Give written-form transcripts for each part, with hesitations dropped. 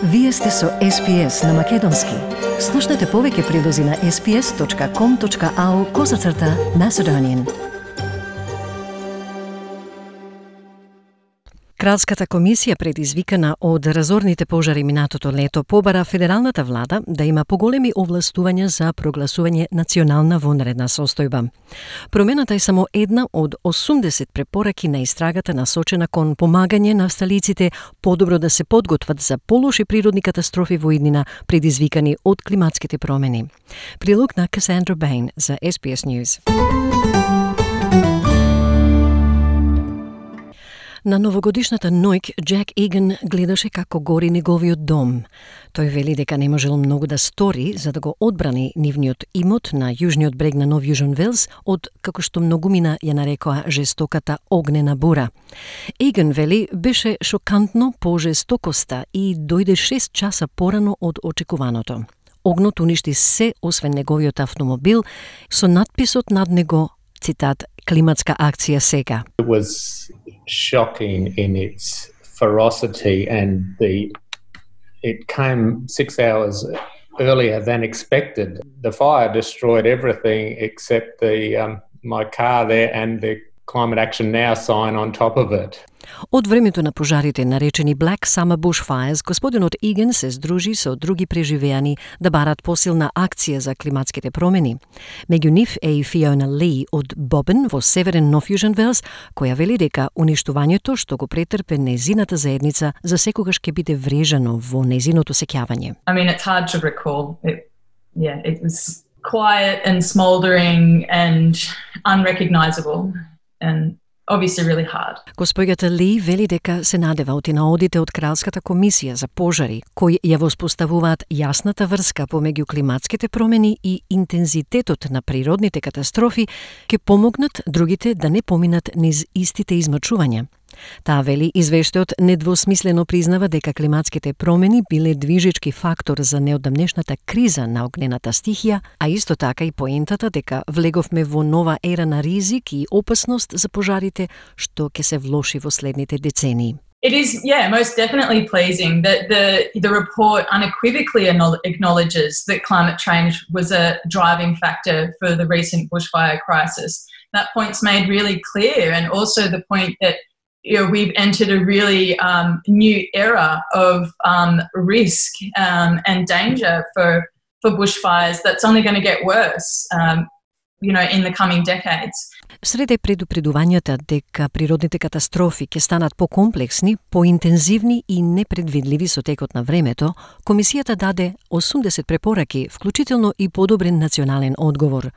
Вие сте со SPS на Македонски. Слушнете повеќе прилози на sps.com.au/Macedonian. Кралската комисија, предизвикана од разорните пожари минатото лето, побара федералната влада да има поголеми овластувања за прогласување национална вонредна состојба. Промената е само една од 80 препораки на истрагата насочена кон помагање на австралиците подобро да се подготват за полоши природни катастрофи во иднина предизвикани од климатските промени. Прилог на Касандра Бейн за SBS News. На новогодишната ноќ Джек Еган гледаше како гори неговиот дом. Тој вели дека не можел многу да стори за да го одбрани нивниот имот на јужниот брег на Нов Јужен Велс од, како што многумина ја нарекоа, жестоката огнена бура. Еган вели беше шокантно по жестокоста и дојде 6 часа порано од очекуваното. Огнот уништи се освен неговиот автомобил со надписот над него, цитат, климатска акција сега. It was shocking in its ferocity and it came 6 hours earlier than expected. The fire destroyed everything except my car there and the Climate Action Now sign on top of it. Од времето на пожарите, наречени Black Summer Bushfires, господинот Еган се здружи со други преживеани да барат посилна акција за климатските промени. Меѓу нив е и Фиона Ли од Бобен во северен Нов Јужен Велс, која вели дека уништувањето што го претрпе незината заедница за секогаш ќе биде врежано во незиното сеќавање. I mean, it's hard to recall. It was quiet and smoldering and unrecognizable and obviously really hard. Госпоѓата Ли вели дека се надева од наодите од Кралската комисија за пожари, кои ја воспоставуваат јасната врска помеѓу климатските промени и интензитетот на природните катастрофи, ќе помогнат другите да не поминат низ истите измачувања. Таа вели извештајот недвосмислено признава дека климатските промени биле движечки фактор за неодамнешната криза на огнената стихија, а исто така и поентата дека влеговме во нова ера на ризик и опасност за пожарите што ќе се влоши во следните децении. It is, most definitely pleasing that the report unequivocally acknowledges that climate change was a driving factor for the recent bushfire crisis. That point's made really clear, and also the point that we've entered a really new era of risk and danger for bushfires that's only going to get worse, in the coming decades. Среде предупредувањата дека природните катастрофи ќе станат покомплексни, поинтензивни и непредвидливи со текот на времето, комисијата даде 80 препораки, вклучително и подобрен национален одговор.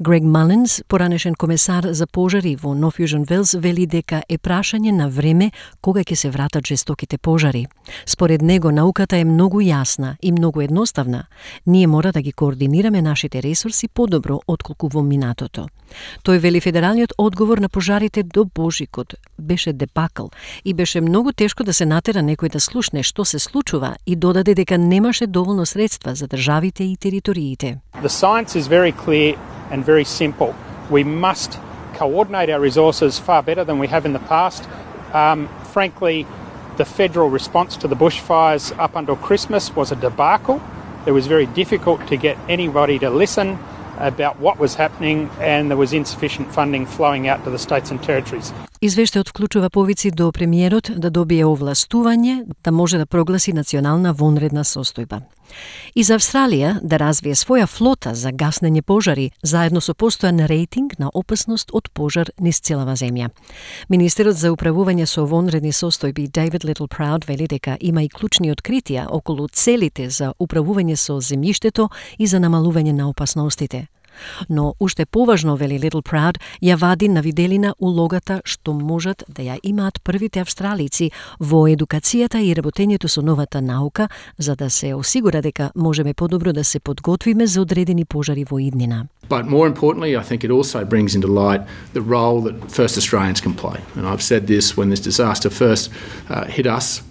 Грег Малинс, поранешен комесар за пожари во Нов Јужен Велс, вели дека е прашање на време кога ќе се вратат жестоките пожари. Според него, науката е многу јасна и многу едноставна. Ние мора да ги координираме нашите ресурси подобро отколку во минатото. Тој вели федералниот одговор на пожарите до Божикот беше дебакл и беше многу тешко да се натера некој да слушне што се случува и додаде дека немаше доволно средства за државите и териториите. The science is very clear and very simple. We must coordinate our resources far better than we have in the past. Frankly, the federal response to the bushfires up until Christmas was a debacle. It was very difficult to get anybody to listen about what was happening, and there was insufficient funding flowing out to the states and territories. Извештајот вклучува повици до премиерот да добие овластување да може да прогласи национална вонредна состојба. И за Австралија да развие своја флота за гаснење пожари, заедно со постојан рейтинг на опасност од пожар низ целава земја. Министерот за управување со вонредни состојби David Littleproud вели дека има и клучни откритија околу целите за управување со земјиштето и за намалување на опасностите. Но уште поважно, вели Littleproud, ја вади на виделина улогата што можат да ја имаат првите австралици во едукацијата и работењето со новата наука, за да се осигура дека можеме подобро да се подготвиме за одредени пожари во иднина. But more importantly, I think it also brings into light the role that First Australians can play. And I've said this when this disaster first hit us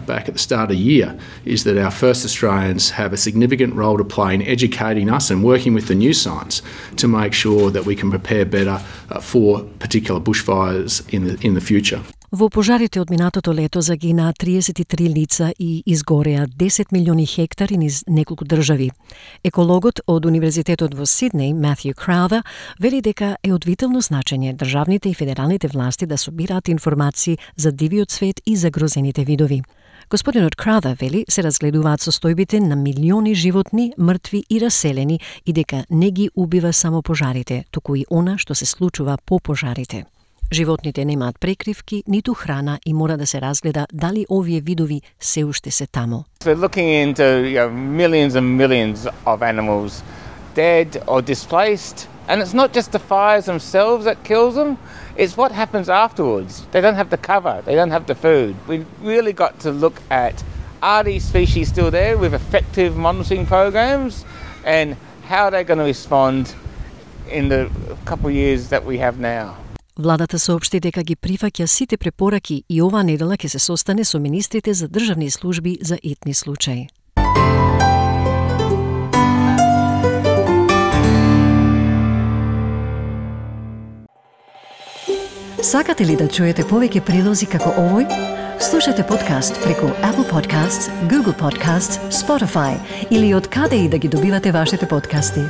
back at the start of the year, is that our First Australians have a significant role to play in educating us and working with the new science to make sure that we can prepare better for particular bushfires in the future. Во пожарите од минатото лето загинаа 33 лица и изгореа 10 милиони хектари низ неколку држави. Екологот од Универзитетот во Сиднеј, Матју Краутер, вели дека е од витално значење државните и федералните власти да собираат информации за дивиот свет и загрозените видови. Господинот Краутер вели се разгледуваат состојбите на милиони животни, мртви и раселени и дека не ги убива само пожарите, туку и она што се случува по пожарите. Животните немаат прекривки, ниту храна и мора да се разгледа дали овие видови се уште се таму. We're looking into millions and millions of animals dead or displaced, and it's not just the fires themselves that kills them, it's what happens afterwards. They don't have the cover, they don't have the food. We really got to look at, are these species still there with effective monitoring programs, and how they're going to respond in the couple of years that we have now. Владата соопшти дека ги прифаќа сите препораки и оваа недела ќе се состане со министрите за државни служби за итни случаи. Сакате ли да чуете повеќе прилози како овој? Слушате подкаст преку Apple Podcasts, Google Podcasts, Spotify или од каде и да ги добивате вашите подкасти.